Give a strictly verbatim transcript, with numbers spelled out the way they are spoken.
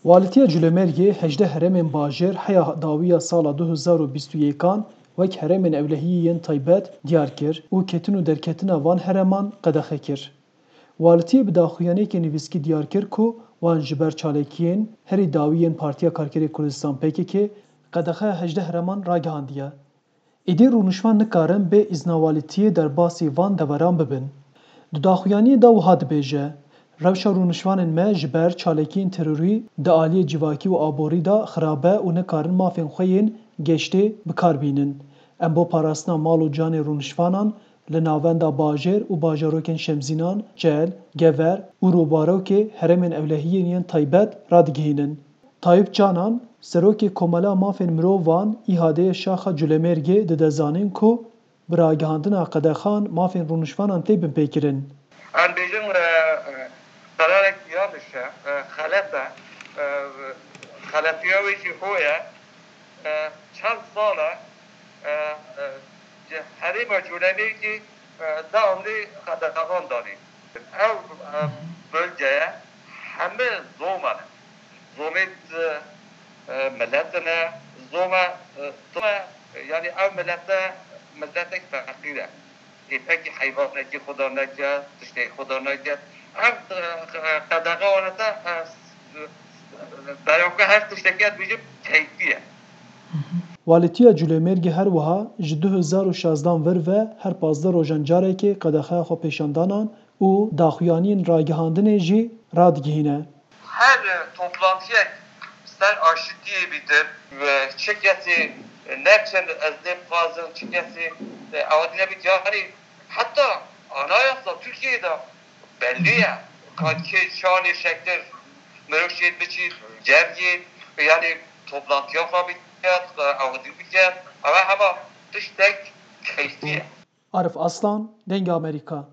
Walîtiya Culêmergê hejdeh herêmên bajêr heya dawiya sala du hezar û bîst û yekan wek herêmên ewlehiyê yên taybet diyar kir û ketin û derketina van herêman qedexe kir. Walîtiyê bi daxuyaniyeke nivîskî diyar kir ku wan ji ber çalakiyên herî dawî yên Partiya Karkerê Kurdistan P K K qedexeya hejdeh herêman ragihandiye. Êdî rûniştvan nikarin bê îzna walîtiyê derbasî van deveran bibin. Di daxuyaniyê de wiha dibêje, rewşa rûniştvanên me ji ber çalakiyên terorî di aliyê civakî û aborî de xirab e û nikarin mafên xwe yên geştê bi kar bînin. Em bo parastina mal û canê rûniştvanan li navenda bajêr û bajarokên Şemzînan, Çel, Gever û Rûbarokê herêmên ewlehiyên yên taybet radigihînin. Tayîp Canan, serokê Komela Mafên Mirovan, îhadeyê Şaxa Culemêrgê dide zanîn ku bi ragihandina qedexan mafên rûniştvanan tê binpêkirin. Em bêjin, e, e, qerarek yanlış e, e, xelet e. E, xeletiya wê jî ho ye. E, çend sal e, e, e, herêma Culemêrgê, e, devamlı qedexan danîn. Ew, e, bölgeye heme zoma ne. Zomê, e, e, millet ne, zoma, e, zoma, e, yani ew millete, milletek feqîr e. Ê pekî heywanekî xwe da neket, tiştekî xwe da neket. Ev, e, qedexe wane te, e, beyanke her tiştekî ez bêjim keyfî ye. Walîtiya Culêmêrgê her wiha ji du hezar û şazdan vir ve her pazdeh rojan carekê qedexeya xwe pêşandanan û daxuyaniyên ragihandinê jî radigihîne. Her toplantiyek ser aşitiyê bîtin ve çi kesî ne çend ez lê bixwazim, çi kesî, e, ew nebît, yani heta anayasa Tirkiyeyê de belli ye. Ka kê çanê şekir mirov şêt biçît, cem yêt, yani toplantiya xwe biket, ew dî biket, ew hema tiştek keyfî ye. Arif Aslan, Dengê Amerîka.